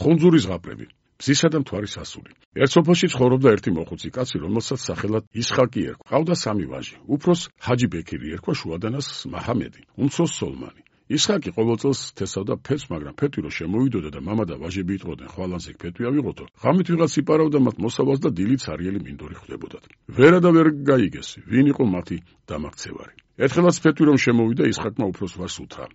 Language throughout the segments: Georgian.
ხუნძური ზღაპრები, მზისა და მთვარის ასული. ერთ სოფელში ცხოვრობდა ერთი მოხუცი კაცი, რომელსაც სახელად ისხაკი ერქვა. ჰყავდა 3 ვაჟი. უფროს ჰაჯი ბექირი ერქვა, შუადანას მაჰამედი, უმცროს სოლმანი. ისხაკი ყოველ წელს თესავდა ფეთს, მაგრამ ფეთი რო შემოვიდოდა და მამა და ვაჟები იტყოდნენ, ხვალანზე ფეთი ავიღოთო. ღამით ვიღაც იპარავდა მათ მოსავალს და დილით ცარიელი მინდორი ხვდებოდათ. ვერა და ვერ გაიგეს, ვინ იყო მათი დამაქცევარი. ერთხელაც ფეთი რომ შემოვიდა, ისხაკმა უფროს ვაჟს უთხრა: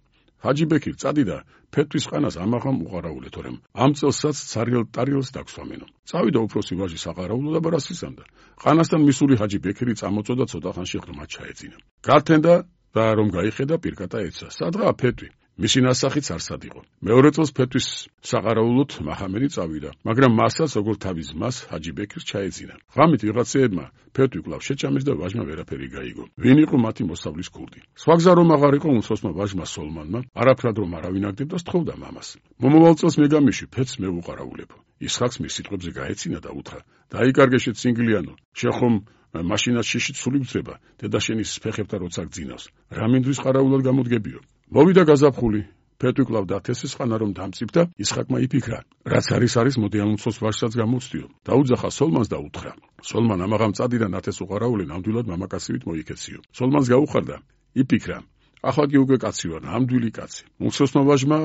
ჰაჯი ბექირ, წადი და ფეთვის ყანას ამაღამ უყარაულე, თორემ ამ წელსაც ცარიელ ტარიელს დაგვსვამენო. წავიდა უფროსი ვაჟი საყარაულო და ბარას ისამდა. ყანასთან მისული ჰაჯი ბექირი წამოწოდა, ცოტა ხანში ღრმად ჩაეძინა. გართენდა და რომ გაიხედა, პირკატა ეცა. სადღაა ფეტვი? მისი ნასახიც არსად იყო. მეორე წელს ფეთვის საყარაულოდ მაჰამედი წავიდა, მაგრამ მასაც როგორც თავის მას ჰაჯი ბექირს ჩაეძინა. ღამით ვიღაცეებმა ფეტვი კვლავ შეჭამეს და ვაჟმა ვერაფერი გაიგო. ვინ იყო მათი მოსავლის ქურდი? სხვა გზა რომ აღარ იყო, უმცროსმა ვაჟმა სოლმანმა არაფრად რომ არავინ აგდებდა, სთხოვდა მამას. მომავალ წელს მე გამიში, ფეთს მე უყარაულებო. ისხაკს მის სიტყვებზე გაეცინა და უთხრა: დაიკარგე შეცინგლიანო, შეხომ მაშინაც შიში ცული ბძება, დედაშენის ფეხებთან როცა გძინავს. რა მინდვის ყარაულად გამოდგებიო? მოვიდა გაზაფხული. ფეტვი კვლავ დათესეს, ხანა რომ დამწიფდა, ისხაკმა იფიქრა, რაც არის მოდი ამ უმცროს ვაჟსაც გამოვცდიო. დაუძახა სოლმანს და უთხრა: სოლმან, ამაღამ წადი და ნათეს უყარაულე, ნამდვილად მამაკაცივით მოიქეციო. სოლმანს გაუხარდა, იფიქრა: ახლა კი უკვე კაცი ვარ, ნამდვილი კაცი. უმცროსმა ვაჟმა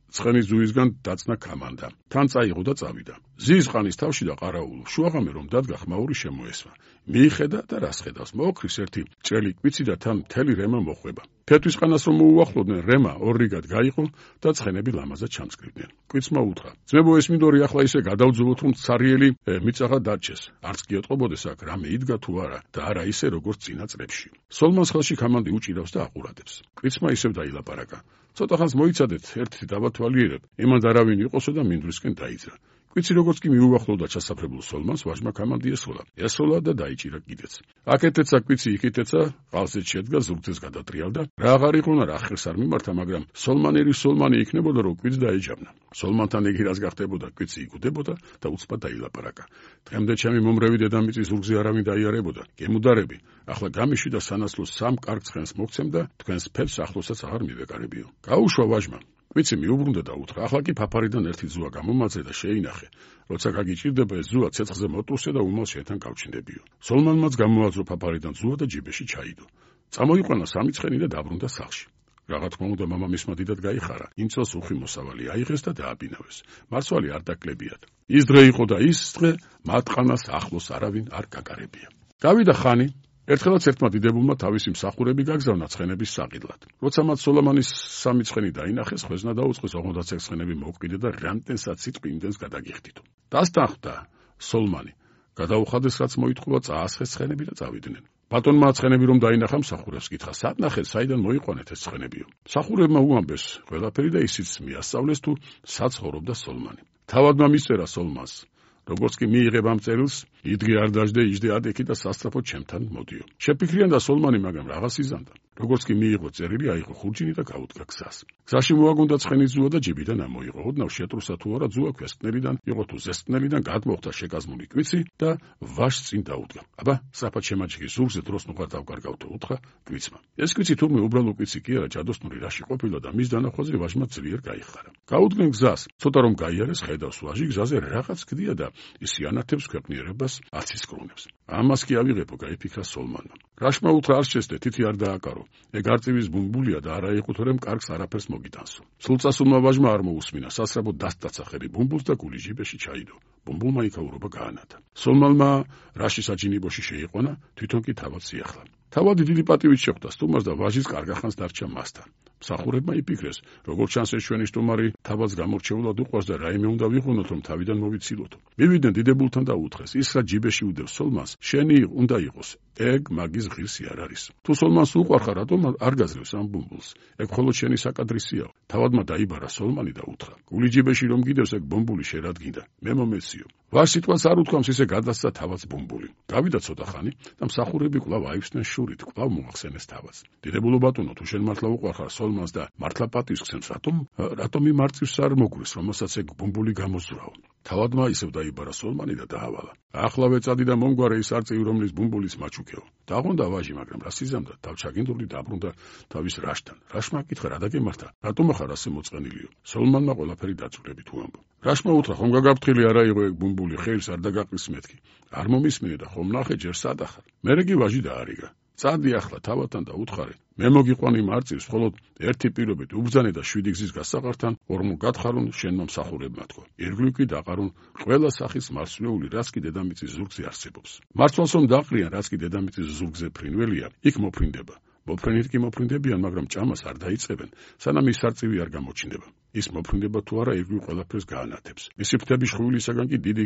ცხენის ძუისგან დაწნა კამანდა. თან წაიღო და წავიდა. ზის ყანის თავში და ყარაულო. შუაღამე რომ დადგა, ხმაური შემოესვა. მიიხედა და რას ხედავს? მოოქრის ერთი ჭრელი კვიცი და თან მთელი რემა მოხვება. ფეთვის ყანას რომ მოუახლოვდნენ, რემა ორრიგად გაიყო და ცხენები ლამაზად ჩამსკრივდნენ. კვიცმა უთხრა: ძმებო, ეს მინდორი ახლა ისე გადავძულოთ, რომ ცარიელი მიწაღა დარჩეს. არც კი ეტყობოდეს აქ რამე იდგა თუ არა და არა ისე როგორც წინა წლებში. სოლმანს ხელში კამანდი უჭირავს და აყურადებს. კვიცმა ისევ დაილაპარაკა: ცოტა ხანს მოიცადეთ, ერთი დავათვალიერებ, იმან არავინ იყოსო და მინდვრისკენ დაიძრა. კვიცი როგორც კი მიუახლოვდა ჩასაფრებულ სოლმანს, ვაჟმა კამანდი ესროლა და დაიჭირა კიდეც. აქეთეცა კვიცი, იქითეცა, ყალსით შედგა, ზურგთეს გადატრიალდა. რა აღარ იყვნა, რა ხერს არ მიმართა, მაგრამ სოლმანერი სოლმანი იქნებოდა, რომ კვიცს დაეჯავნა. სოლმანთან იგი რას გახდებოდა, კვიცი იგუდებოდა და უცბად დაილაპარაკა. დღემდე ჩემი მომრევი დედამიწის ზურგზე არავინ დაიარებოდა. გემუდარები, ახლა გამიში და სანაცვლოს 3 კარგ ცხენს მოგცემ და თქვენს ფეთს ახლოსაც აღარ მივეკარებიო. გაუშვა ვაჟმა. კვიცი მიუბრუნდა და უთხრა: ახლა კი ფაფარიდან ერთი ზუა გამომაძე და შეინახე. როცა გაგიჭირდება ეს ზუა, ცეცხლზე მოტუსე და უმალ შენთან გავჩნდებიო. სოლმანმაც გამოაძრო ფაფარიდან ზუა და ჯიბეში ჩაიდო. წამოიყვანა 3 ცხენი და დაბრუნდა სახლში. რაღა თქმა უნდა, მამა მისმა დიდად გაიხარა. იმ წელს უხი მოსავალი აიღეს და დააბინავეს. მარცვალი არ დაკლებიათ. ის დღე იყო და ის დღე მათყანას ახლოს არავინ არ გაკარებია. გავიდა ხანი. ერთხელაც ერთმა დიდებულმა თავისი მსახურები გაგზავნა ცხენების საყიდლად. როცა მათ სოლომანის 3 ცხენი დაინახეს, ხვეზნა დაუწყეს, ოღონდაც ეგ ცხენები მოვკიდე და რამდენსაც სიტყვი იმდენს გადაგიხდიდო. დასტანხდა სოლმანი. გადაუხადეს, რაც მოითხოვა, წაასხეს ცხენები და წავიდნენ. ბატონმა ცხენები რომ დაინახა, მსახურებს კითხა: სად საიდან მოიყვანეთ ეს ცხენებიო? მსახურებმა უამბეს ყველაფერი და ისიც მიასწავლეს თუ სად ცხოვრობდა სოლმანი. თავადმა მისწერა სოლმანს: როგორც კი მიიღებ ამ წერილს, იდგე არ დაждე, იждე ადექი და სასწრაფოდ ჩემთან მოდიო. შეფიქრიან და სოლმანი, მაგრამ რაღაც იზამდა. როგორც კი მიიღო წერილი, აიღო ხურჯინი და გაუდგა გზას. გზაში მოაგონდა ცხენის ზუა და ჯიბიდან ამოიღო. ოდნავ შეტრუსა თუ არა, ზუა ქვესკნელიდან იყო თუ ზესკნელიდან, გადმოხდა შეკაზმული კვიცი და ვაჟს წინ დაუდგა. აბა, სწრაფად შემაჭიქი ზურგზე, დროს ნუღარ დავკარგავთო, უთხრა კვიცმა. ეს კვიცი თურმე უბრალო კვიცი კი არა, ჯადოსნური რაში ყოფილა და მის დანახვაზე ვაჟმა ძლიერ გაიხარა. გაუდგენ გზას, ცოტა რომ გაიარეს, ხედავს ვაჟი გზაზე რაღაც გდია და ისი ანათებს ქვეყნიერებას აცისკრუნებს. ამას კი ავიღებო, გაიფიქრა სოლმანმა. რაშმა უთხრა, არ შეესდე, თითი არ დააკარო. ეგ არწივის ბუმბულია და არა იყო, თორემ კარგს არაფერს მოგიტანსო. სულწასულმა ვაჟმა არ მოусმინა, სასწრაფოდ დასტაცა ხელი ბუმბულს და გული ჯიბეში ჩაიდო. ბუმბულმა იქაურობა გაანათა. სოლმანმა რაში საჯინიბოში შეიყვანა, თვითონ კი თავად სიახლა. თავად დიდი პატივით შეხვდა სტუმარს და ვაჟის კარგახანს დარჩა მასთან. მსახურებმა იფიქრეს, როგორც ჩანს ეს ჩვენი სტუმარი თავადს გამორჩეულად უყვარს და რაიმე უნდა ვიყვნოთ, რომ თავიდან მოვიცილოთო. მივიდნენ დიდებულთან და უთხრეს: ის რა ჯიბეში უდევს სოლმანს, შენი უნდა იყოს. ეგ მაგის ღირსი არ არის. თუ სოლმანს უყვარხარ, რატომ არ გაძლევს ამ ბუმბულს? ეგ მხოლოდ შენი საკადრისიაო. თავადმა დაიბარა სოლმანი და უთხრა: გული ჯიბეში რომ გიდევს, ეგ ბუმბული შერადგინდა. მე მომეციო. ვარ სიტყვას არ უთქვამს, ისე გადასცა თავადს ბუმბული. გავიდა ცოტა ხანი და მსახურები კვლავ აივსდნენ შურით, კვლავ მოახსენეს თავადს. დიდებულო ბატონო, თუ შენ მართლა უყვარხარ სოლმანს და მართლა პატივს გცემს, რატომ იმ არწივს არ მოგვრის, რომელსაც ეგ ბუმბული გამოსძვრაო? თავადმა ისევ დაიბარა სოლმანი და დაავალა. ახლავე წადი და მომგვარე ის არწივი, რომლის ბუმბულის მაჩუქეო. დაღონდა ვაჟი, მაგრამ რა სიზამდა, თავჩაგინდული დაბრუნდა თავის რაშთან. რაშმა აკითხა, რა დაგემართა, რატომ ახარ ასე მოწყენილიო? სოლმანმა ყველაფერი დაძვრებით უამბო. რაშმა უთხრა, ხომ გაგაფრთხილი არა იყო ეგ ბუმბული, ხელს არ დაგაყრის მეთქი. არ მომისმინე და ხომ ნახე ჯერ სად ახარ. მერე კი ვაჟი დაარიგა. წადი ახლა თავადთან და უთხარი, მე მოგიყვანი მარწივს, მხოლოდ ერთი პირობით უბრძანე და 7 გზის გასაყართან ორმო გათხარონ შენმა მსახურებმა თქო. ირგვლივ კი დაყარონ ყველა სახის მარცვლეული, რაც კი დედამიწის ზურგზე არსებობს. მარცვალს რომ დაყრიან, რაც კი დედამიწის ზურგზე ფრინველია, იქ მოფრინდება. მოფრინით კი მოფრინდებიან, მაგრამ ჭამას არ დაიწყებენ, სანამ ის არწივი არ გამოჩნდება. ის მოფრინდება თუ არა, ირგვლივ ყველაფერს გაანათებს. მისი ფრთები შხვილისაგან კი დიდი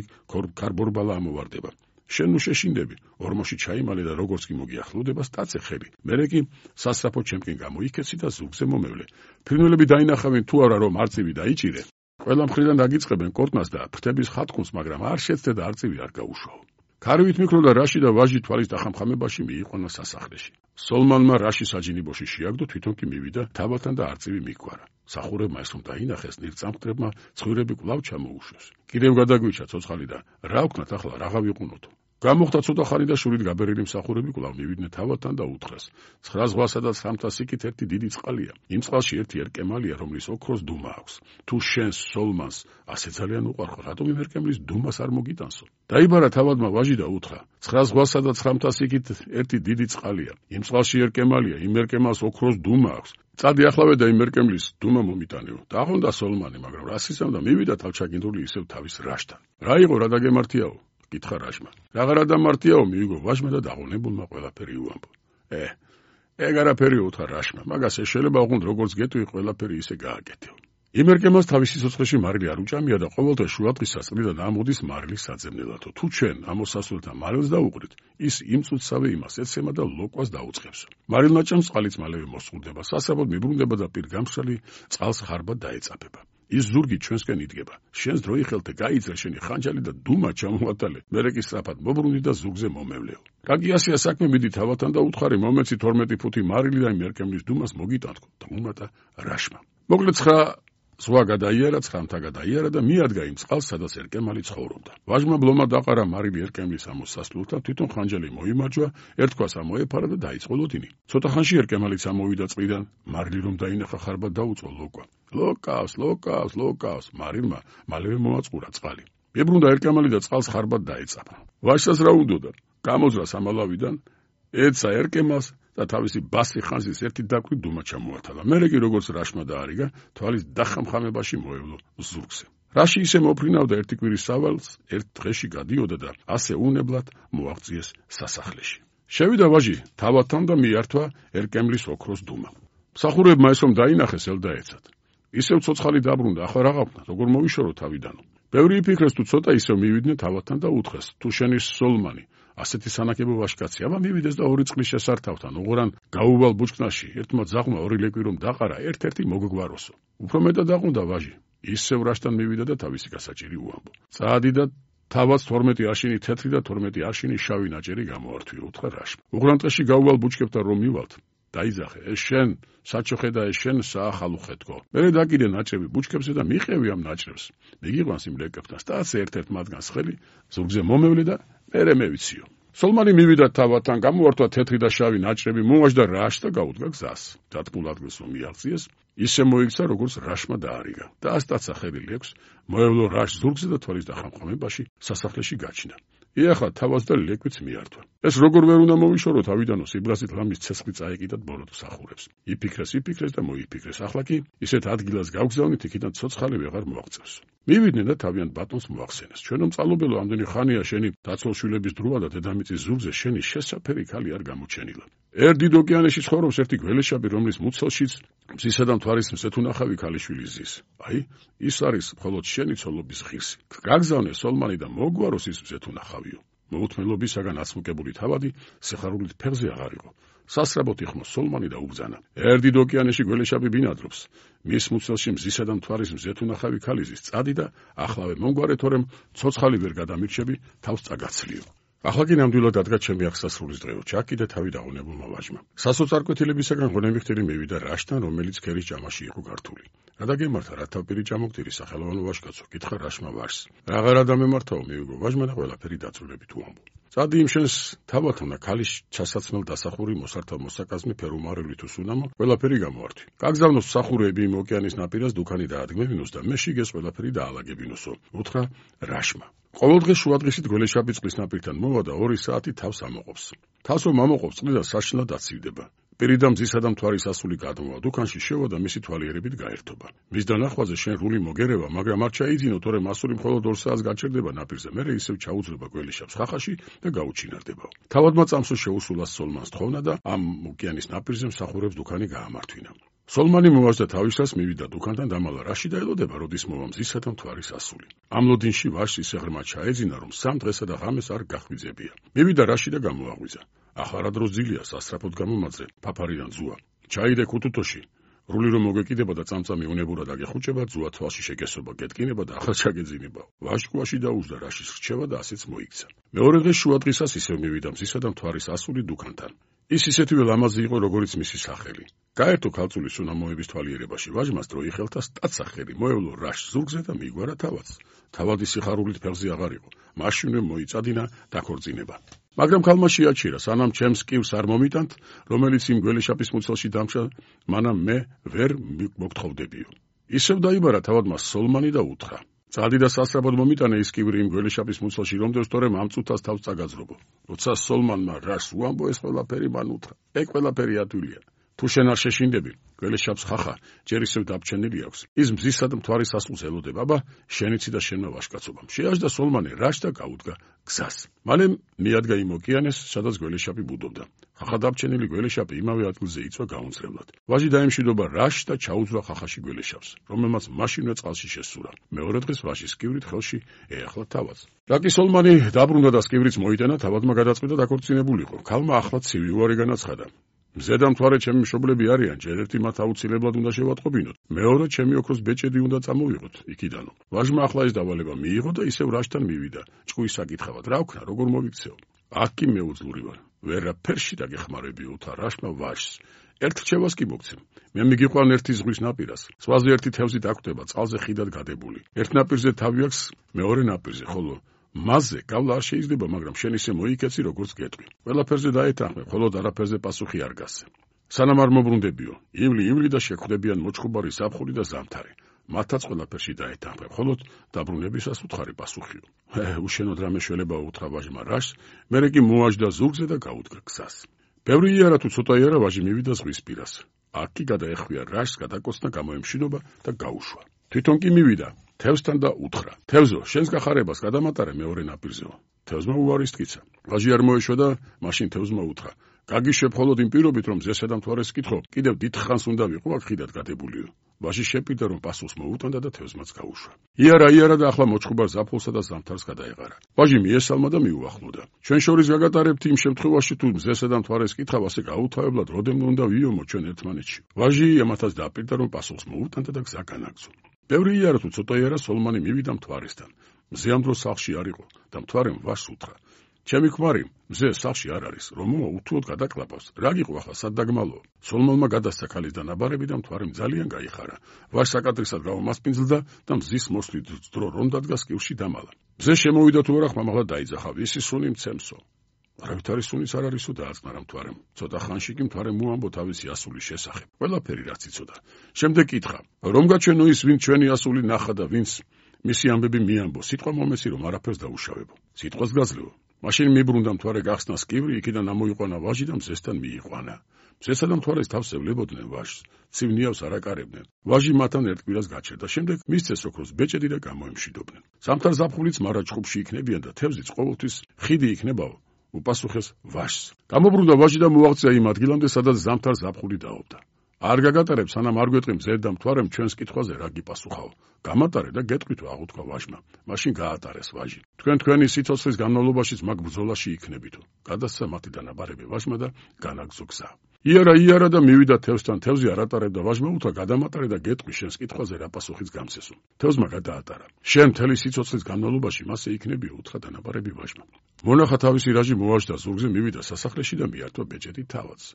ქარბორბალა ამოვარდება. შენ ნუ შეშინდები, ორმოში ჩაიმალე და როგორც კი მოგიახლოვდება, სტაცე ხელი. მერე კი სასწრაფო ჩემკენ გამოიქეცი და ზურგზე მომევლე. ფრინველები დაინახავენ თუ არა, რომ არწივი დაიჭირე. ყველა მხრიდან დაგიწყებენ კორტნას და ფრთების ხატყუნს, მაგრამ არ შეცდე და არწივი არ გაუშვაო. ქარივით მიკროდა რაში და ვაჟი თვალის დახამხამებაში მიიყვანა სასახლეში. სოლმანმა რაში საჯინიბოში შეაგდო, თვითონ კი მივიდა თავადთან და არწივი მიგვარა. სახურებმა ეს რომ დაინახეს, ნირწამხდრებმა ცხვირები კვლავ ჩამოუშვეს. კიდევ გადაგვიჩა ცოცხალი და რა ვქნათ ახლა, რა გავიყუნოთ? გამოხდა ცოტა ხანი და შურით გაბერილი მსახურები კვლავ მივიდნენ თავადთან და უთხრეს. 9 ზღვასა და 9 სიკით ერთი დიდი წყალია. იმ წყალში ერთი ერკემალია, რომლის ოქროს დუმა აქვს. თუ შენ სოლმანს ასე ძალიან უყვარხარ, რატომ იმ ერკემლის დუმას არ მოგიტანსო? დაიბარა თავადმა ვაჟი და უთხრა. 9 ზღვასა და 9 სიკით ერთი დიდი წყალია. იმ წყალში ერკემალია, იმ ერკემალს ოქროს დუმა აქვს. წადი ახლავე და იმ ერკემლის დუმა მომიტანეო. დაღონდა სოლმანი, მაგრამ რა სიზამდა, მივიდა თავჩაგინდული ისევ თავის რაშთან. რა იყო, რა დაგემართიაო? კითხა რაშმა. რაღა დამართიაო, მიიგო ვაჟმა და დაღონებულმა ყველაფერი უამბო. ეგ არაფერი უთხრა რაშმა, მაგას შეიძლება ოღონდ როგორც გეტყვი, ყველაფერი ისე გააკეთეო. იმ ერკემალს თავისი სოცხლეში მარილი არ უჭამია და ყოველდღე შუადღის წრიდან ამოდის მარილის საძებნელათო. თუ ჩვენ ამოსასვლელთან მარილს დაუყრით, ის იმ წუთსავე იმას ეცემა და ლოკვას დაუწყებსო. მარილმა ჭამს, წყალიც მალევე მოსწყურდება, სასწრაფოდ მიბრუნდება და პირგამსრალი წყალს ხარბად დაეწაფება. ის ზურგი ჩვენსკენ იდგება. შენს დროი ხელთე გაიძრე შენი ხანჯალი და დუმა ჩამოატალე. მერე კი სწრაფად მობრუნდი და ზურგზე მომევლეო. კაკიასია საქმე, მიდი თავადთან და უთხარი, მომეცი 12 ფუთი მარილი და იმ ერკემლის დუმას მოგიტანთქო. დაუმატა რაშმა. მოკლედ 9 ზღვა გადაიარა, 9-მთა გადაიარა და მიადგა იმ წყალს, სადაც ერკემალი ცხოვრობდა. ვაჟმა ბლომა დაყარა მარილი ერკემლის ამოსასვლელთან, თვითონ ხანჯალი მოიმარჯვა, ერთქვას ამოეფარა და დაიწყო ლოდინი. ცოტა ხანში ერკემალიც ამოვიდა წყლიდან, მარილი რომ დაინახა, ხარბად დაუწყო ლოკვა. ლოკავს, მარილმა მალევე მოაწყურა წყალი. მებრუნდა ერკემალი და წყალს ხარბად დაეწაფა. ვაჟსაც რა უნდოდა? გამოძრა სამალავიდან, ეცა ერკემალს და თავისი ბასი ხანძის ერთი დაკვრი დუმა ჩამოათალა. მერე კი როგორც რაშმა დაარიგა, თვალის დახამხამებაში მოევლო ზურგზე. რაში ისე მოფრინავდა ერთი კვირის სავალს, ერთ დღეში გადიოდა და ასე უნებლად მოაღწიეს სასახლეში. შევიდა ვაჟი თავადთან და მიართვა ერკემლის ოქროს დუმა. მსახურებმა ეს რომ დაინახეს, ელდაეცათ. ისევ ცოცხალი დაბრუნდა, ახლა რა გავხსნა, როგორ მოვიშორო თავიდანო. ბევრი იფიქრეს თუ ცოტა ისევ მივიდნენ თავადთან და უთხრეს, თუ შენი სოლმანი ასეთი სანაკებო ვაჟკაცი, აბა მივიდეს და 2 წყლის შესართავთან, უღრან გაუვალ ბუჩქნარში, ერთმა ძაღლმა 2 ლეკვი რომ დაყარა, ერთ-ერთი მოგგვაროსო. უფრო მეტად დაყუნდა ვაჟი. ისევ რაშთან მივიდა და თავისი გასაჭირი უამბო. წადი და თავად 12 არშინი თეთრი და 12 არშინი შავი ნაჭერი გამოართვიო, უთხრა რაშმა. უღრან ტყეში გაუვალ ბუჩქებთან რომ მივალთ, დაიძახე, ეს შენ საჩოხე და ეს შენ საახალუხე თქო. მერე დაკიდე ნაჭრები ბუჩქებზე და მიყევი ამ ნაჭრებს. მიგიყვანს იმ ლეკებთან, სტაცე ერთ-ერთ მათგანს ხელი, ზურგზე მომევლე და მერე მევიციო. სოლმანი მივიდა თავადთან, გამოართვა თეთრი და შავი ნაჭრები, მომაჯდა რაშს და გაუდგა გზას. დათმულ ადგილს რომ მიაღწიეს, ისე მოიქცა, როგორც რაშმა დაარიგა. და ასტაცა ხელი ლექს, მოევლო რაშს ზურგზე და თვალის დახამხამებაში სასახლეში გაჩნდა. იახლა თავას და ლეკვიც მიართვა. ეს როგორ ვერ უნდა მოვიშორო თავიდანო, სიბრაზით რამის ცეცხლი წაეკიდათ ბოროტ სახურებს. იფიქრეს და მოიფიქრეს. ახლა კი ისეთ ადგილას გავგზავნით, იქიდან ცოცხალი ვეღარ მოაღწევს. მივიდნენ და თავიანთ ბატონს მოახსენეს. ჩვენო მწალობელო, ამდენი ხანია შენი დაცოლშვილების დროა და დედამიწის ზურგზე შენი შესაფერი ქალი არ გამოჩენილა. ერთ დიდ ოკეანეში ცხოვრობს ერთი გველეშაპი, რომლის მუცელშიც მზისა და მთვარის მზეთუნახავი ქალიშვილი ზის. აი, ის არის მხოლოდ შენი ცოლობის ღირსი. გაგზავნე სოლმანი და მოგვაროს ის მზეთუნახავიო. მოუთმენლობისაგან აცმუკებული თავადი სიხარულით ფეხზე აღარ იყო. სასწრაფოდ იხმო სოლმანი და უბრძანა. ერთ დიდ ოკეანეში გველეშაპი ბინადრობს. მის მუცელში მზისა და მთვარის მზეთუნახავი ქალი ზის. წადი და ახლავე მომგვარე, თორემ ცოცხალი ვერ გადამირჩები, თავს წაგაცლიო. ახლა კი ნამდვილად დადგა ჩემი აღსასრულის დღეო, ჩაკიდე თავი დაღონებულმა ვაჟმა. სასოწარკვეთილებისაგან ღონემიხტერი მივიდა რაშთან, რომელიც ქერის ჭამაში იყო გართული. რა დაგემართა, რა თავპირი ჭამოκτირი სახელოვანო ვაჟკაცო, კითხა რაშმა ვაჟს. რაღაცა დამემართაო, მივიგო ვაჟმა და ყველაფერი დაწვრილები თუ ამბო. წადი იმ შენს თავათან და ქალის ჩასაცმელ დასახური მოსართავ მოსაკაზმი ფერუმარული თუ სუნამო, ყველაფერი გამოართვი. გაგზავნოს მსახურები იმ ოკეანის ნაპირას დუქანი დაადგმევინოს და მე შიგეს ყველაფერი დაალაგებინოსო, უთხრა რაშმა. ყოველდღე შუადღისით გველეშაპი წყლის ნაპირთან მოვა და 2 საათი თავს ამოყოფს. თავს რომ ამოყოფს წყლი და საშინლად აცივდება. პირიდა მზისა და მთვარის ასული გადმოვა დუქანში შევა და მისი თვალიერებით გაერთობა. მის დანახვაზე შენ რული მოგერევა, მაგრამ არ ჩაიძინო, თორემ ასული მხოლოდ 2 საათს გაჩერდება ნაპირზე, მერე ისევ ჩაუძრება გველეშაპს ხახაში და გაუჩინარდებაო. თავადმა წამსო შეუსულა სოლმანს თხოვნა და ამ ოკეანის ნაპირზე მსახურებს დუქანი გაამართვინა. სოლმანი მოვაზდა თავისას, მივიდა დუქანთან და ამალა რაში დაელოდება, როდის მოვა მზისა და მთვარის ასული. ამ ლოდინში ვაჟს ისე ღრმა ჩაეძინა, რომ 3 დღესა და ღამეს არ გახვიძებია. მივიდა რაში და გამოაღვიძა. ახლა რა დროს ძილია, სასწრაფოდ გამომაძრე, ფაფარიდან ძუა. ჩაიდე ქუთუთოში. რული რომ მოგეკიდება და წამწამი უნებურად აგეხუჭება, ძუა თვალში შეგესობა, გეტკინება და ახლა ჩაგეძინებაო. ვაჟკუაში დაუზდა რაშის რჩევა და ასეც მოიქცა. მეორე დღეს შუადღისას ისევ მივიდა მზისა და მთვარის ასული დუქანთან. ის ისეთივე ლამაზი იყო, როგორიც მისი სახელი. გაერთო ქალწულის სუნამოების თვალიერებაში ვაჟმას დრო იხელთა სტაცახელი, მოევლო რაშს ზურგზე და მიგვარა თავაც. თავადი სიხარულით ფეხზე აღარ იყო. მაშინვე მოიწადინა დაქორწინება. მაგრამ ქალმა შეაჩერა, სანამ ჩემს კივს არ მომიტანთ, რომელიც იმ გველეშაპის მუცელში დამჭა, მანამ მე ვერ მოგთხოვდებიო. ისევ დაიბარა თავადმა სოლმანი და უთხრა: წადი და სასწრაფოდ მომიტანე ის კივრი იმ გველეშაპის მუცელში, რომდენს თორემ ამ წუთას თავს წაგაძრობო. როცა სოლმანმა რაშს უამბო, ეს ყველაფერი მან უთხრა: ეგ ყველაფერი ადვილია. თუ შენ არ შეშინდები, გველეშაპს ხახა ჯერ ისევ დაბჩენილი აქვს. ის მზისა და მთვარის ასულს ელოდება, აბა შენიცი და შენმა ვაჟკაცობამ. შეაჯდა სოლმანი რაშს და გაუდგა გზას. მალე მიადგა იმ ოკეანეს, სადაც გველეშაპი ბუდობდა. ხახა დაბჩენილი გველეშაპი იმავე ადგილზე იწვა გაუნცრებლად. ვაჟი დაემშვიდობა რაშს და ჩაუძვრა ხახაში გველეშაპს, რომელმაც მაშინვე წყალში შესურა. მეორე დღეს ვაჟის კივრით ხელში ეახლა თავაც. რაკი სოლმანი დაბრუნდა და სკივრიც მოიტანა, თავადმა გადაწყვიტა დაქორწინებულიყო. ქალმა ახლა ცივი უარი განაცხადა. მზე და მთვარე ჩემი მშობლები არიან, ჯერ ერთი მათ აუცილებლად უნდა შევატყობინოთ. მეორე ჩემი ოქროს ბეჭედი უნდა წამოვიღოთ იქიდანო. ვაჟმა ახლა ეს დავალება მიიღო და ისევ რაშთან მივიდა. ჭკუის საკითხავად, რა ვქნა, როგორ მოვიქცეო? აქ კი მეუძლური ვარ. ვერაფერში დაგეხმარებიო, თა რაშმა ვაჟს. ერთ რჩევას კი მოგცემ. მე მიგიყვან ერთი ზღვის ნაპირას. ზღვაზე ერთი თევზი დაკვდება, წყალზე ხიდად გადებული. ერთ ნაპირზე თავი აქვს, მეორე ნაპირზე, ხოლო მასზე გავლა არ შეიძლება, მაგრამ შენ ისე მოიქეცი, როგორც გეტყვი. ყველაფერზე დაეთანხმე, ხოლოდ არაფერზე პასუხი არ გასცე. სანამ არ მობრუნდებიო, ივლი და შეხვდებიან მოჭხუბარი ზაფხული და ზამთარი. მათაც ყველაფერში დაეთანხმე, ხოლოდ დაბრუნებისას უთხარი პასუხიო. უშენოდ რამე შველება უთხრა ვაჟმა რაშს, მერე კი მოაჯდა ზურგზე და გაუდგა გზას. ბევრი იარა თუ ცოტა იარა ვაჟი მივიდა ზღვის პირას. აქ კი გადაეხვია რაშს, გადაკოცნა, გამოემშვიდობა და გაუშვა. თვითონ კი მივიდა თევზთან და უთხრა: თევზო, შენს გახარებას გადამატარე მეორე ნაპირზეო. თევზმა უარის თქიცა. ვაჟი არ მოეშვა და მაშინ თევზმა უთხრა: გაგიშვებ მხოლოდ იმ პირობით, რომ ზესა და მთვარეს კითხო, კიდევ დიდხანს უნდა ვიყო აქ ხიდად გადებულიო. ვაჟი შეპირდა, რომ პასუხს მოუტანდა და თევზმაც გაუშვა. იარა და ახლა მოჭხუბარ ზაფხულსა და ზამთარს გადაეღარა. ვაჟი მიესალმა და მიუახლოვდა. ჩვენ შორის გაგატარებთ იმ შემთხვევაში, თუ ზესა და მთვარეს კითხავ ასე გაუთავებლად, როდემდე უნდა ვიომო ჩვენ ერთმანეთში. ვაჟი ამათაც დაპირდა, რომ პასუხს მოუტანდა და გზა განაგზო. ბევრი იარა თუ ცოტა იარა სოლმანი მივიდა მთვარესთან. მზე ამ დროს სახლში არ იყო და მთვარემ ვაჟს უთხრა: ჩემი ქმარი, მზე სახლში არ არის, რომ უთუოდ გადაკლაპავს. რა გიყო ახლა, სად დაგმალო? სოლმანმა გადასცა ქალის დანაბარები და მთვარემ ძალიან გაიხარა. ვაჟს საკადრისად გამომასპინძლდა და მზის მოსვლით ძდრო რომ დადგა სკივში დამალა. მზე შემოვიდა თუ არა, ხმამაღლა დაიძახა: ვისი სუნი მცემსო? არავითარი სუნიც არ არისო, დააწნარა მთვარემ. ცოტა ხანში კი მთვარემ მოამბო თავისი ასულის შესახებ. ყველაფერი რაც იცოდა. შემდეგ კითხა: რომ გაჩვენო ის, ვინც ჩვენი ასული ნახა და ვინც მისი ამბები მიამბო, სიტყვა მომეცი, რომ არაფერს დაუშავებო. სიტყვას გაძლეო. მაშინ მიბრუნდა მთვარე გახსნა სკივრი, იქიდან ამოიყვანა ვაჟი და მზესთან მიიყვანა. მზესა და მთვარეს თავს ევლებოდნენ ვაჟს. ცივნიავს არ აკარებდნენ. ვაჟი მათთან ერთ კვირას გაჩერდა. შემდეგ მისცეს ოქროს ბეჭედი და გამოემშვიდობდნენ. ზამთარ ზაფხულიც მარა ჭხუბში იქნებიან და თევზიც ყოველთვის ხიდი იქნებაო. უპასუხეს ვაჟს. გამობრუნდა ვაჟი და მოაღწია იმ ადგილამდე, სადაც ზამთარ ზაფხული დაობდა. არ გაგატარებ, სანამ არ გვეტყვი მზედ და მთვარემ ჩვენს კითხვაზე რა გიპასუხაო. გამატარე და გეტყვით, აღუთქვა ვაჟმა. მაშინ გაატარეს ვაჟი. თქვენი სიცოცხლის განმავლობაშიც მაგ ბრძოლაში იქნებითო. გადასცა მათი დანაბარები ვაჟმა და განაგზო გზა. იარა და მივიდა თევზთან, თევზი არ ატარებდა ვაჟმა უთხრა გადამატარე და გეტყვი შენს კითხვაზე რა პასუხიც გამცესო. თევზმა გადაატარა. შენ მთელი სიცოცხლის განმავლობაში მასე იქნებიო, უთხრა დანაბარები ვაჟმა. მონახა თავისი რაჟი მოვაჟდა ზურგზე, მივიდა სასახლეში და მიართვა ბეჭედი თავადს.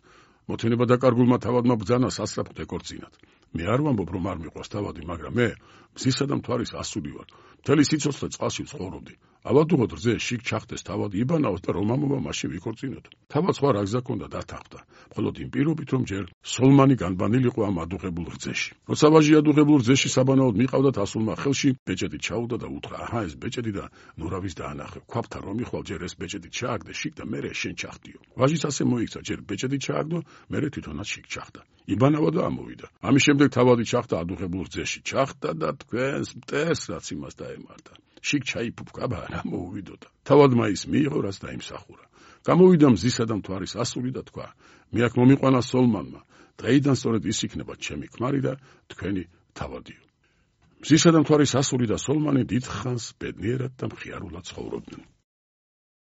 მოთინება დაკარგულმა თავადმა ბრძანა სასწრაფოდ ეკორწინათ. მე არ ვამბობ რომ არ მიყვარს თავადი, მაგრამ მე მზისა და მთვარის ასული ვარ. მთელი სიცოცხლე წყალში ვცხოვრობდი. ავადუღოთ რძე შიგ ჩახდეს თავადი იბანაოს და რომამობა მაშინ ვიქორწინოთ. თავად სხვა რა გზა ჰქონდა დათანხმდა. მხოლოდ იმ პირობით რომ ჯერ სოლმანი განბანილიყო ამ ადუღებულ რძეში. როცა ვაჟი ადუღებულ რძეში საბანაოდ მიყავდათ ასულმა ხელში ბეჭედი ჩაუდა და უთხრა: აჰა ეს ბეჭედი და ნურავის დაანახე. ქვაფთა რომ იხვალ ჯერ ეს ბეჭედი ჩააგდე შიგ და მერე შენ ჩახდიო. ვაჟიც ასე მოიქცა, ჯერ ბეჭედი ჩააგდო, მერე თვითონაც შიგ ჩახდა. იბანავა და ამოვიდა. ამის შემდეგ თავადი ჩახდა ადუღებულ რძეში. ჩახდა და თქვენს მტერს რაც იმას დაემართა. შიგ ჩაიფუფკაბა რა მოუვიდოდა. თავადმა ის მიიღო რაც დაიმსახურა. გამოვიდა მზისა და მთვარის ასული და თქვა: მე აქ მომიყვანა სოლმანმა. დღეიდან სწორედ ის იქნება ჩემი ქმარი და თქვენი თავადიო. მზისა და მთვარის ასული და სოლმანი დიდხანს ბედნიერად და მხიარულად ცხოვრობდნენ.